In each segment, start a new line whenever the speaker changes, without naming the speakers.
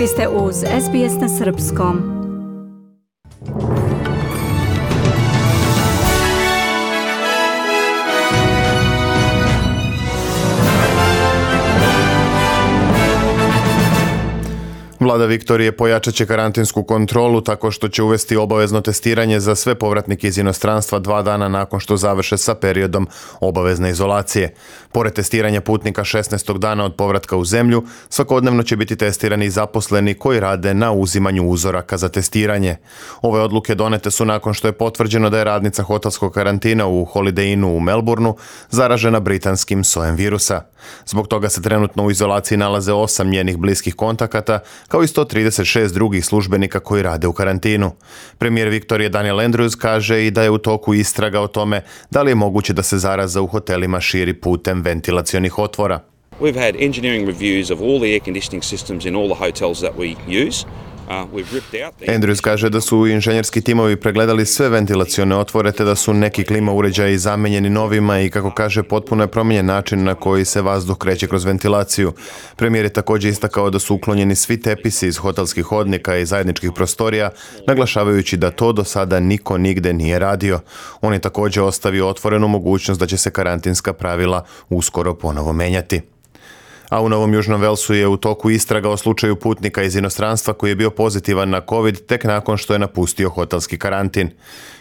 Vi ste uz SBS na srpskom.
Vlada Viktorije pojačat će karantinsku kontrolu tako što će uvesti obavezno testiranje za sve povratnike iz inostranstva 2 dana nakon što završe sa periodom obavezne izolacije. Pored testiranja putnika 16. dana od povratka u zemlju, svakodnevno će biti testirani i zaposleni koji rade na uzimanju uzoraka za testiranje. Ove odluke donete su nakon što je potvrđeno da je radnica hotelskog karantina u Holiday Innu u Melbourneu zaražena britanskim sojem virusa. Zbog toga se trenutno u izolaciji nalaze 8 njenih bliskih kontakata, kao i 136 drugih službenika koji rade u karantinu. Premijer Viktorije Daniel Andrews kaže i da je u toku istraga o tome da li je moguće da se zaraza u hotelima širi putem ventilacionih otvora.
We've had engineering reviews of all the air conditioning systems in all the hotels that we use.
Andrews kaže da su inženjerski timovi pregledali sve ventilacione otvore te da su neki klima uređaji zamenjeni novima i kako kaže potpuno je promijenjen način na koji se vazduh kreće kroz ventilaciju. Premijer je također istakao da su uklonjeni svi tepisi iz hotelskih hodnika i zajedničkih prostorija, naglašavajući da to do sada niko nigde nije radio. On je također ostavio otvorenu mogućnost da će se karantinska pravila uskoro ponovo menjati. A u Novom Južnom Velsu je u toku istraga o slučaju putnika iz inostranstva koji je bio pozitivan na COVID tek nakon što je napustio hotelski karantin.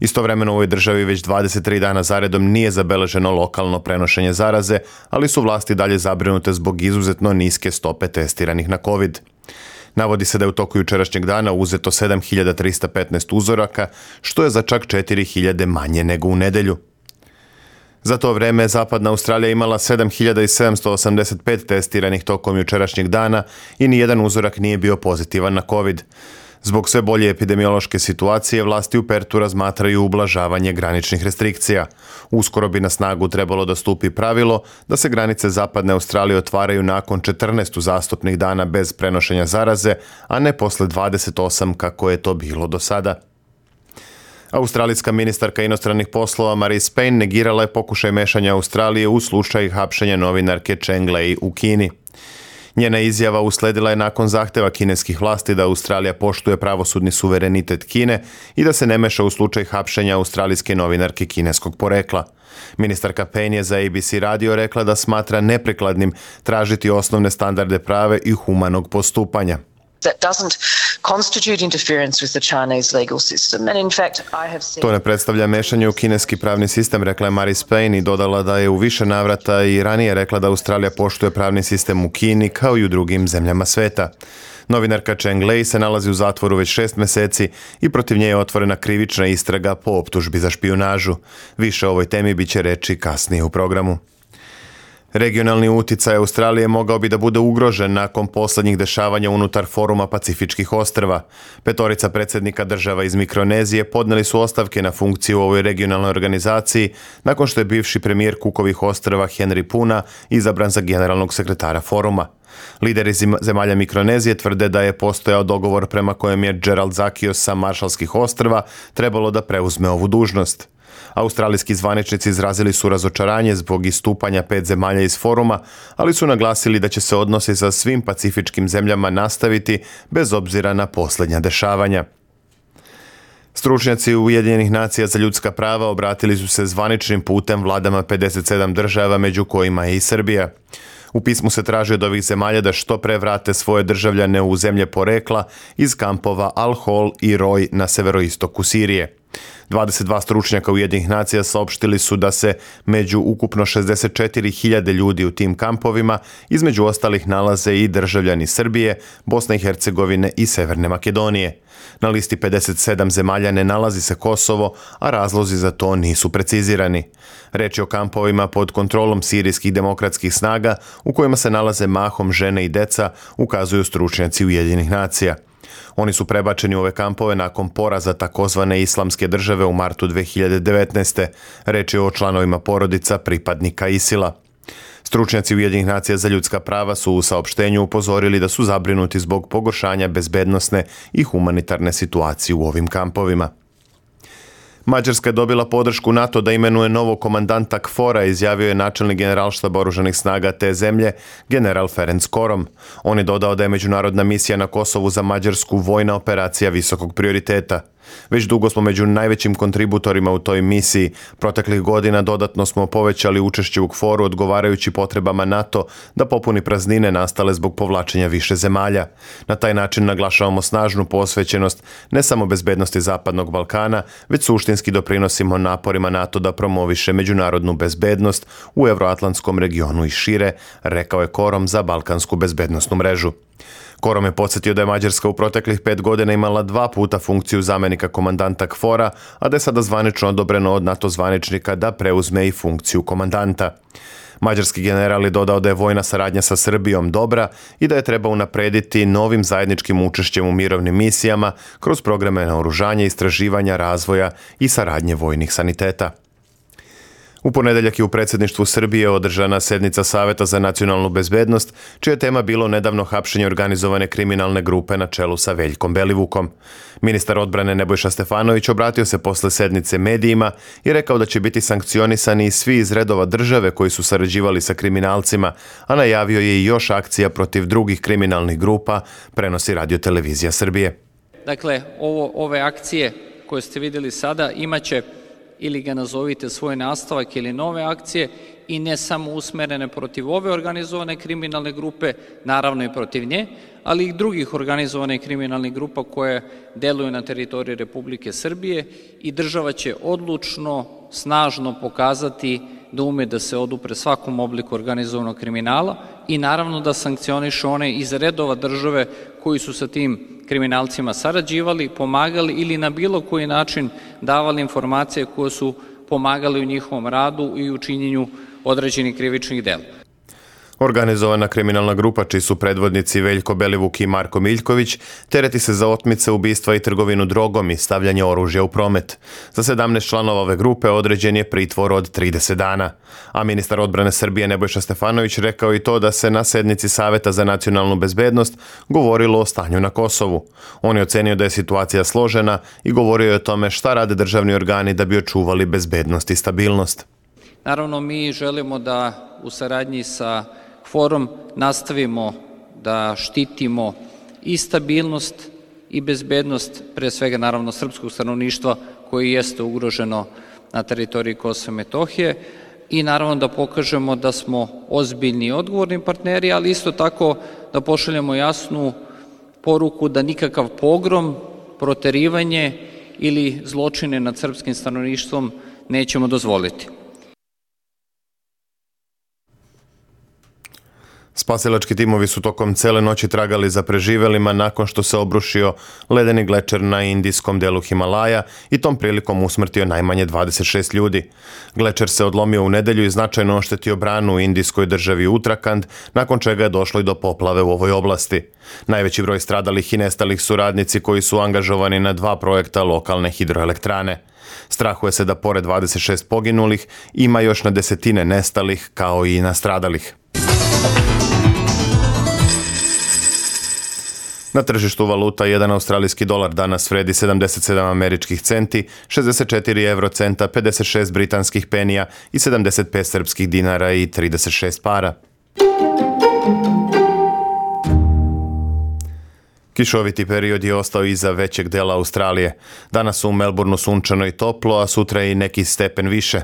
Istovremeno u ovoj državi već 23 dana zaredom nije zabeleženo lokalno prenošenje zaraze, ali su vlasti dalje zabrinute zbog izuzetno niske stope testiranih na COVID. Navodi se da je u toku jučerašnjeg dana uzeto 7315 uzoraka, što je za čak 4000 manje nego u nedjelju. Za to vrijeme Zapadna Australija imala 7785 testiranih tokom jučerašnjeg dana i nijedan uzorak nije bio pozitivan na COVID. Zbog sve bolje epidemiološke situacije, vlasti u Pertu razmatraju ublažavanje graničnih restrikcija. Uskoro bi na snagu trebalo da stupi pravilo da se granice Zapadne Australije otvaraju nakon 14 uzastopnih dana bez prenošenja zaraze, a ne posle 28 kako je to bilo do sada. Australijska ministarka inostranih poslova Marise Payne negirala je pokušaj mešanja Australije u slučaj hapšenja novinarke Cheng Lei u Kini. Njena izjava usledila je nakon zahteva kineskih vlasti da Australija poštuje pravosudni suverenitet Kine i da se ne meša u slučaj hapšenja australijske novinarke kineskog porekla. Ministarka Payne je za ABC radio rekla da smatra neprikladnim tražiti osnovne standarde prave i humanog postupanja. To ne predstavlja mešanje u kineski pravni sistem, rekla je Marise Payne i dodala da je u više navrata i ranije rekla da Australija poštuje pravni sistem u Kini kao i u drugim zemljama sveta. Novinarka Cheng Lei se nalazi u zatvoru već 6 mjeseci i protiv nje je otvorena krivična istraga po optužbi za špijunažu. Više o ovoj temi bit će reći kasnije u programu. Regionalni uticaj Australije mogao bi da bude ugrožen nakon posljednjih dešavanja unutar Foruma Pacifičkih ostrva. 5 predsjednika država iz Mikronezije podneli su ostavke na funkciju u ovoj regionalnoj organizaciji nakon što je bivši premijer Cookovih ostrva Henry Puna izabran za generalnog sekretara foruma. Lideri zemalja Mikronezije tvrde da je postojao dogovor prema kojem je Gerald Zakios sa Maršalskih ostrva trebalo da preuzme ovu dužnost. Australijski zvaničnici izrazili su razočaranje zbog istupanja 5 zemalja iz foruma, ali su naglasili da će se odnosi sa svim pacifičkim zemljama nastaviti bez obzira na posljednja dešavanja. Stručnjaci Ujedinjenih nacija za ljudska prava obratili su se zvaničnim putem vladama 57 država, među kojima je i Srbija. U pismu se traži od ovih zemalja da što pre vrate svoje državljane u zemlje porekla iz kampova Al-Hol i Roj na severoistoku Sirije. 22 stručnjaka Ujedinjenih nacija saopštili su da se među ukupno 64.000 ljudi u tim kampovima između ostalih nalaze i državljani Srbije, Bosne i Hercegovine i Severne Makedonije. Na listi 57 zemalja ne nalazi se Kosovo, a razlozi za to nisu precizirani. Reč je o kampovima pod kontrolom sirijskih demokratskih snaga u kojima se nalaze mahom žene i deca, ukazuju stručnjaci Ujedinjenih nacija. Oni su prebačeni u ove kampove nakon poraza takozvane Islamske države u martu 2019. Reč je o članovima porodica pripadnika ISIL-a. Stručnjaci Ujedinjenih nacija za ljudska prava su u saopštenju upozorili da su zabrinuti zbog pogoršanja bezbednosne i humanitarne situacije u ovim kampovima. Mađarska je dobila podršku NATO da imenuje novog komandanta KFOR-a, izjavio je načelnik generalštaba oružanih snaga te zemlje, general Ferenc Korom. On je dodao da je međunarodna misija na Kosovu za Mađarsku vojna operacija visokog prioriteta. Već dugo smo među najvećim kontributorima u toj misiji. Proteklih godina dodatno smo povećali učešće u KFOR-u odgovarajući potrebama NATO da popuni praznine nastale zbog povlačenja više zemalja. Na taj način naglašavamo snažnu posvećenost ne samo bezbednosti Zapadnog Balkana, već suštinski doprinosimo naporima NATO da promoviše međunarodnu bezbednost u evroatlantskom regionu i šire, rekao je Korom za Balkansku bezbednosnu mrežu. Korom je podsjetio da je Mađarska u proteklih 5 godina imala 2 puta funkciju zamenika komandanta KFOR-a, a da je sada zvanično odobreno od NATO zvaničnika da preuzme i funkciju komandanta. Mađarski general je dodao da je vojna saradnja sa Srbijom dobra i da je treba unaprediti novim zajedničkim učešćem u mirovnim misijama kroz programe naoružanja, istraživanja, razvoja i saradnje vojnih saniteta. U ponedeljak je u predsjedništvu Srbije održana sednica Saveta za nacionalnu bezbednost, čija je tema bilo nedavno hapšenje organizovane kriminalne grupe na čelu sa Veljkom Belivukom. Ministar odbrane Nebojša Stefanović obratio se posle sednice medijima i rekao da će biti sankcionisani svi iz redova države koji su sarađivali sa kriminalcima, a najavio je i još akcija protiv drugih kriminalnih grupa, prenosi Radio-televizija Srbije.
Dakle, ove akcije koje ste vidjeli sada imaće ili ga nazovite svoj nastavak ili nove akcije i ne samo usmerene protiv ove organizovane kriminalne grupe, naravno i protiv nje, ali i drugih organizovanih kriminalnih grupa koje deluju na teritoriji Republike Srbije i država će odlučno, snažno pokazati da ume da se odupre svakom obliku organizovanog kriminala i naravno da sankcioniše one iz redova države koji su sa tim kriminalcima sarađivali, pomagali ili na bilo koji način davali informacije koje su pomagali u njihovom radu i u činjenju određenih krivičnih dela.
Organizovana kriminalna grupa, čiji su predvodnici Veljko Belivuk i Marko Miljković, tereti se za otmice, ubistva i trgovinu drogom i stavljanje oružja u promet. Za 17 članova ove grupe određen je pritvor od 30 dana. A ministar odbrane Srbije Nebojša Stefanović rekao i to da se na sednici Saveta za nacionalnu bezbednost govorilo o stanju na Kosovu. On je ocenio da je situacija složena i govorio je o tome šta rade državni organi da bi očuvali bezbednost i stabilnost.
Naravno, mi želimo da u saradnji sa KFOR-om nastavimo da štitimo i stabilnost i bezbednost, pre svega naravno srpskog stanovništva koji jeste ugroženo na teritoriji Kosova i Metohije i naravno da pokažemo da smo ozbiljni i odgovorni partneri, ali isto tako da pošaljemo jasnu poruku da nikakav pogrom, proterivanje ili zločine nad srpskim stanovništvom nećemo dozvoliti.
Spasilački timovi su tokom cele noći tragali za preživelima nakon što se obrušio ledeni glečer na indijskom delu Himalaja i tom prilikom usmrtio najmanje 26 ljudi. Glečer se odlomio u nedelju i značajno oštetio branu u indijskoj državi Uttarakhand, nakon čega je došlo i do poplave u ovoj oblasti. Najveći broj stradalih i nestalih su radnici koji su angažovani na 2 projekta lokalne hidroelektrane. Strahuje se da pored 26 poginulih ima još na desetine nestalih kao i nastradalih. Na tržištu valuta jedan australijski dolar danas vredi 77 američkih centi, 64 eurocenta, 56 britanskih penija i 75 srpskih dinara i 36 para. Kišoviti period je ostao iza većeg dela Australije. Danas u Melbourneu sunčano i toplo, a sutra i neki stepen više.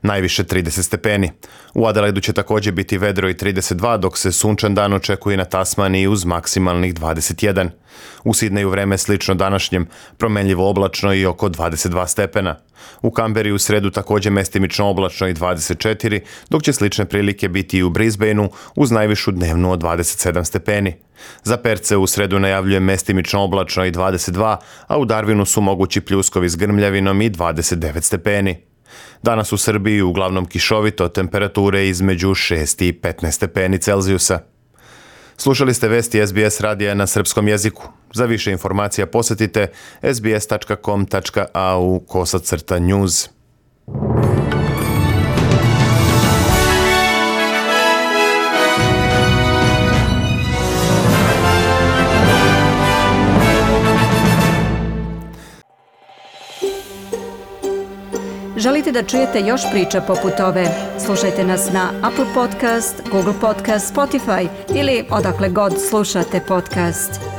Najviše 30 stepeni. U Adelaidu će također biti vedro i 32, dok se sunčan dan očekuje na Tasmaniji uz maksimalnih 21. U Sidneju vreme slično današnjem, promenljivo oblačno i oko 22 stepena. U Kamberi u sredu također mestimično oblačno i 24, dok će slične prilike biti i u Brisbaneu uz najvišu dnevnu od 27 stepeni. Za Perce u sredu najavljuje mestimično oblačno i 22, a u Darwinu su mogući pljuskovi s grmljavinom i 29 stepeni. Danas u Srbiji uglavnom kišovito, temperature između 6 i 15 stepeni Celzijusa. Slušali ste vesti SBS radija na srpskom jeziku. Za više informacija posjetite sbs.com.au/news.
Želite da čujete još priča poput ove? Slušajte nas na Apple Podcast, Google Podcast, Spotify ili odakle god slušate podcast.